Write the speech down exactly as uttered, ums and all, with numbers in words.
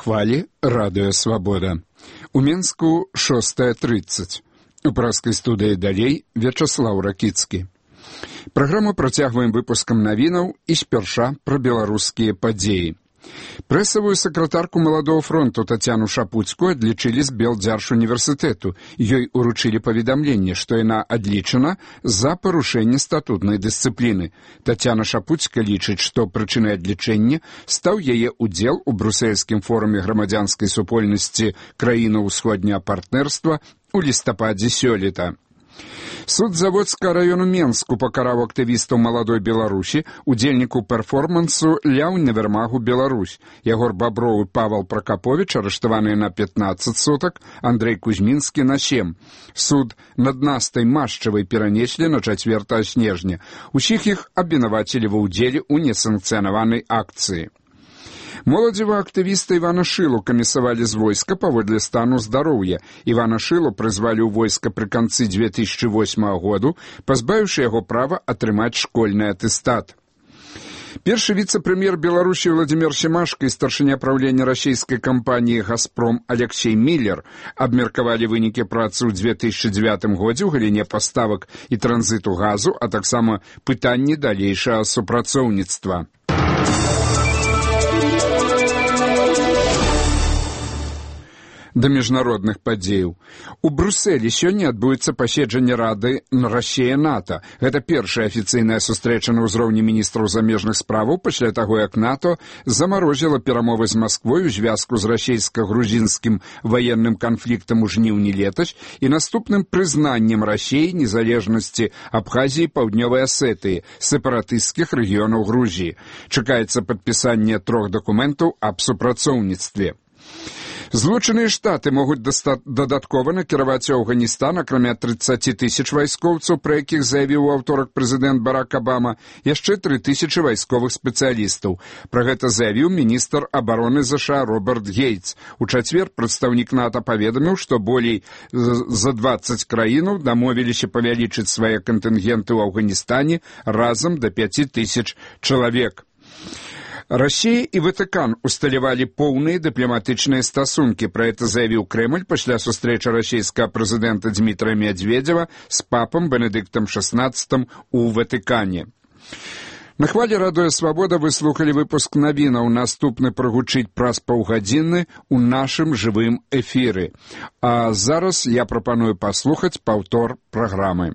хвалі радыё «Свабода». У Менску шостая трыццаць. У праскай студыі далей Вячаслаў Ракіцкі. Праграму працягваем выпускам навінаў і спярша пра беларускія падзеі. Прэсавую сакратарку Маладого фронту Татьяну Шапуцкую адлічылі з Белдзяржуніверсітэту. Ёй уручылі паведамленне, што яна адлічана за парушэнне статутнай дысцыпліны. Татьяна Шапуцкая лічыць, што прычынай адлічэння стаў яе удзел у брусельскім форуме грамадзянскай супольнасці краінаў усходняга партнерства у лістападзе сёлета. Суд Заводскага району Менску пакараў актывістаў Маладой Беларусі, удзельніку перформансу «Ля універмагу Беларусь». Ягор Баброў і Павел Прокопович арыштаваныя на пятнаццаць сутак, Андрей Кузьмінскі на сем. Суд над Настай Машчавай перанеслі на чацвёртага снежня. Усіх іх абвінавацілі ва ўдзеле ў несанкцыянаванай акцыі. Моладзевага актывіста Івана Шылу камісавалі з войска паводле стану здароўя. Івана Шылу прызвалі ў войска пры канцы дзве тысячы восьмага году, пазбавіўшы яго права атрымаць школьны атэстат. Першы віцэ-прэм'ер Беларусі Владимир Семашко і старшыня правлення расійскай кампаніі «Газпром» Алексей Миллер абмеркавалі вынікі працы ў дзве тысячы дзевятым годзе ў галіне паставак і транзіту газу, а таксама пытанні далейшага супрацоўніцтва. Да міжнародных падзеяў. У Брусэлі сёння адбудзецца паседжанне Рады Расія-НАТО. Гэта першая афіцыйная сустрэча на ўзроўні міністраў замежных справаў пасля таго, як НАТО замарозіла перамовы з Масквой у звязку з расійска-грузінскім ваенным канфліктам у жніўні летась і наступным прызнаннем Расіі незалежнасці Абхазіі і Паўднёвай Асетыі, сепаратысцкіх рэгіёнаў Грузіі. Чакаецца падпісанне трох дакументаў аб супрацоўніцтве. Злучаныя Штаты могуць дадаткова накіраваць у Афганістан, акрамя трыццаці тысяч вайскоўцаў, пра якіх заявіў у аўторак прэзідэнт Барак Абама, яшчэ тры тысячы вайсковых спецыялістаў. Пра гэта заявіў міністр абароны ЗША Роберт Гейтс. У чацвер прадстаўнік НАТО паведаміў, што болей за дваццаць краінаў дамовіліся павялічыць свае кантынгенты ў Афганістане разам да пяці тысяч чалавек. Расія і Ватыкан усталявалі поўныя дыпламатычныя стасункі. Пра гэта заявіў Крэмль пасля сустрэчы расійскага прэзідэнта Дмітрая Медведзева з папам Бенедыктам шаснаццатым у Ватыкане. На хвалі радыё «Свабода» вы слухалі выпуск навінаў. Наступны прагучыць праз паўгадзіны ў нашым жывым эфіры. А зараз я прапаную паслухаць паўтор праграмы.